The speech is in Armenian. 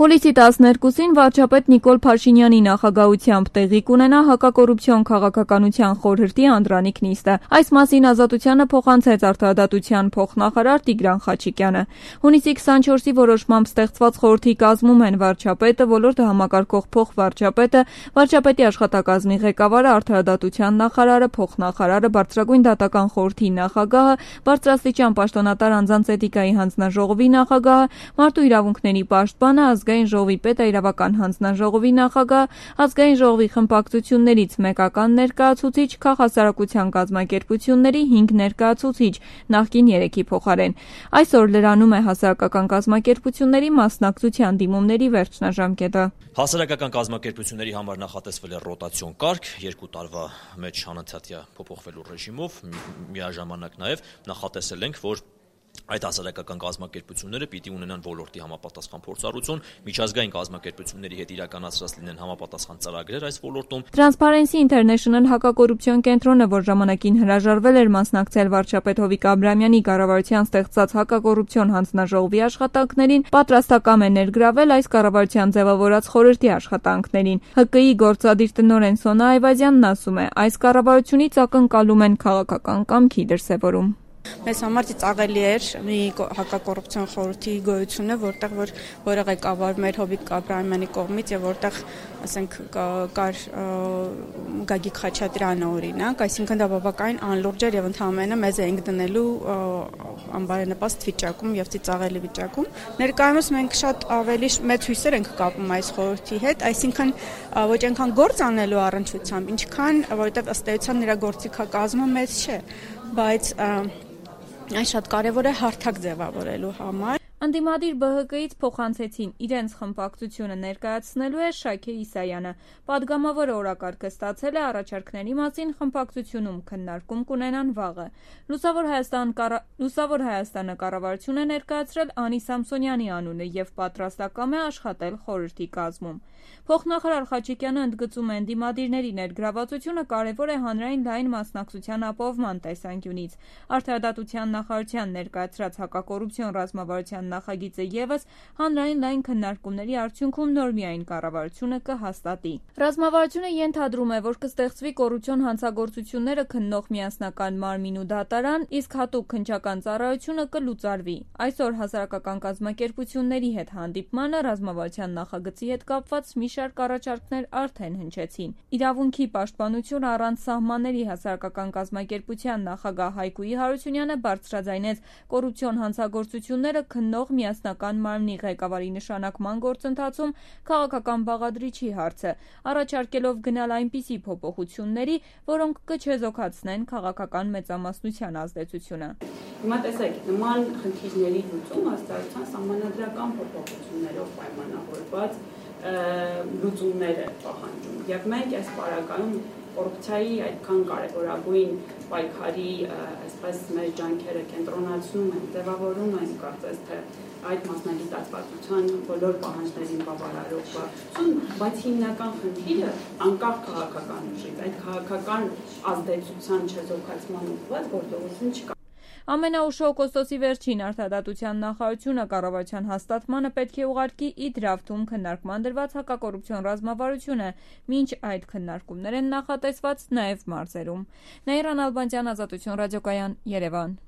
Հուլիսի 12-ին վարչապետ Նիկոլ Փաշինյանի նախագահությամբ տեղի կունենա հակակոռուպցիոն քաղաքականության խորհրդի անդրանիկ նիստը։ Այս մասին Ազատությանը փոխանցեց արդարադատության փոխնախարար Տիգրան Խաչիկյանը։ Հունիսի 24-ի որոշմամբ ստեղծված խորհրդի կազմում են վարչապետը, ոլորտը համակարգող փոխվարչապետը, վարչապետի աշխատակազմի ղեկավարը, արդարադատության նախարարը, փոխնախարարը, բարձրագույն դատական խորհրդի նախագահը, բարձրաստիճան պաշտոնատար անձանց էթիկայի հանձնաժողովի նախագահը, մարդու իրավունքների պաշտպանը, Ազգային ժողովի պետ, իրավական հանձնաժողովի նախագահ, Ազգային ժողովի խմբակցություններից մեկական ներկայացուցիչ, քաղաքասարակության կազմակերպությունների 5 ներկայացուցիչ, նախկին 3-ի փոխարեն։ Այսօր լրանում է հասարակական կազմակերպությունների մասնակցության դիմումների վերջնաժամկետը։ Հասարակական կազմակերպությունների համար նախատեսվել է ռոտացիոն կարգ, 2 տարվա մեջ անընդհատյա փոփոխվելու ռեժիմով, միաժամանակ նաև նախատեսել ենք, որ այդ հասարակական կազմակերպությունները պիտի ունենան ոլորտի համապատասխան փորձառություն, միջազգային կազմակերպությունների հետ իրականացրած լինեն համապատասխան ծրագրեր այս ոլորտում։ Transparency International հակակոռուպցիոն կենտրոնը, որ ժամանակին հրաժարվել էր մասնակցել վարչապետ Հովիկ Աբրահամյանի կառավարության ստեղծած հակակոռուպցիոն հանձնաժողովի աշխատանքներին, պատրաստակամ է ներգրավել այս կառավարության ձևավորած խորհրդի աշխատանքներին։ ՀԿ-ի գործադիր տնօրեն Սոնա Այվազյանն ասում է, այս կառավարությունից ակնկալում են քաղաքական կամքի դրսևորում։ Մեզ համար ծաղելի էր մի հակակոռուպցիոն խորհրդի գոյությունը, որը ղեկավարում էր Հովիկ Աբրահամյանի կողմից եւ որտեղ, ասենք, կար Գագիկ Խաչատրյանը օրինակ, այսինքն դա բավականին անլուրջ էր եւ ընդհանրապես մեզ էինք դնելու անբարենպաստ վիճակում եւ ծիծաղելի վիճակում։ Ներկայումս մենք շատ ավելի մեծ հույսեր ենք կապում այս խորհրդի հետ, այսինքն ոչ այնքան գործ անելու առնչությամբ, ինչքան որովհետեւ ըստ էության նրա գործիքակազմը մեծ չէ, բայց այս շատ կարևոր է հարթակ ձևավորելու համար։ Ընդդիմադիր ԲՀԿ-ից փոխանցեցին իրենց խմբակցությունը ներկայացնելու է Շաքե Իսայանը։ Պատգամավորը օրակարգը ստացել է, առաջարկների մասին խմբակցությունում քննարկում կունենան վաղը։ Լուսավոր Հայաստանը կառավարություն է ներկայացրել Անի Սամսոնյանի անունը եւ պատրաստակամ է աշխատել խորհրդի կազմում։ Փոխնախարար Խաչիկյանը ընդգծում է, ընդդիմադիրների ներգրավվածությունը կարևոր է հանրային լայն մասնակցության ապահովման տեսանկյունից։ Արդարադատության նախարարության ներկայացրած հակակոռուպցիոն ռազմավարության նախագիծը եւս հանրային լայն քննարկումների արդյունքում նոր միայն կառավարությունը կհաստատի։ Ռազմավարությունը ենթադրում է, որ կստեղծվի կոռուպցիոն հանցագործությունները քննող միասնական մարմին ու դատարան, իսկ հատուկ քննչական ծառայությունը կլուծարվի։ Այսօր հասարակական կազմակերպությունների հետ հանդիպմանը ռազմավարության նախագծի հետ կապված մի շարք առաջարկներ արդեն հնչեցին։ Իրավունքի պաշտպանություն առանց սահմանների հասարակական կազմակերպության նախագահ Հայկուի Հարությունյանը բարձրաձայնեց կոռուպցիոն հանցագործությունները քննող միասնական մարմնի ղեկավարի նշանակման գործընթացում քաղաքական բաղադրիչի հարցը, առաջարկելով գնալ այնպիսի փոփոխությունների, որոնք կչեզոքացնեն քաղաքական մեծամասնության ազդեցությունը։ Հիմա տեսեք, նման խնդիրների լուծումը ըստ սահմանադրական փոփոխություններով պայմանավորված լուծումներ է պահանջում։ Եվ մենք այս պարագայում կոռուպցիայի այդքան կարևորագույն պայքարի այսպես մեր ջանքերը կենտրոնացնում են, ձևավորում են կարծես թե այդ մասնագիտացվածության բոլոր պահանջներին բավարարող վարչություն, բայց հիմնական խնդիրը անկախ քաղաքական ուժից, այդ քաղաքական ազդեցության չեզոքացման ուղղված գործողություն չկա։ Ամենաուշ օգոստոսի վերջին արդարադատության նախարարությունը կառավարության հաստատմանը պետք է ուղարկի Իդրավթում քննարկման դրված հակակոռուպցիոն ռազմավարությունը, մինչ այդ քննարկումներ են նախատեսված նաև մարզերում։ Նաիրա Նալբանդյան, Ազատություն ռադիոկայան, Երևան։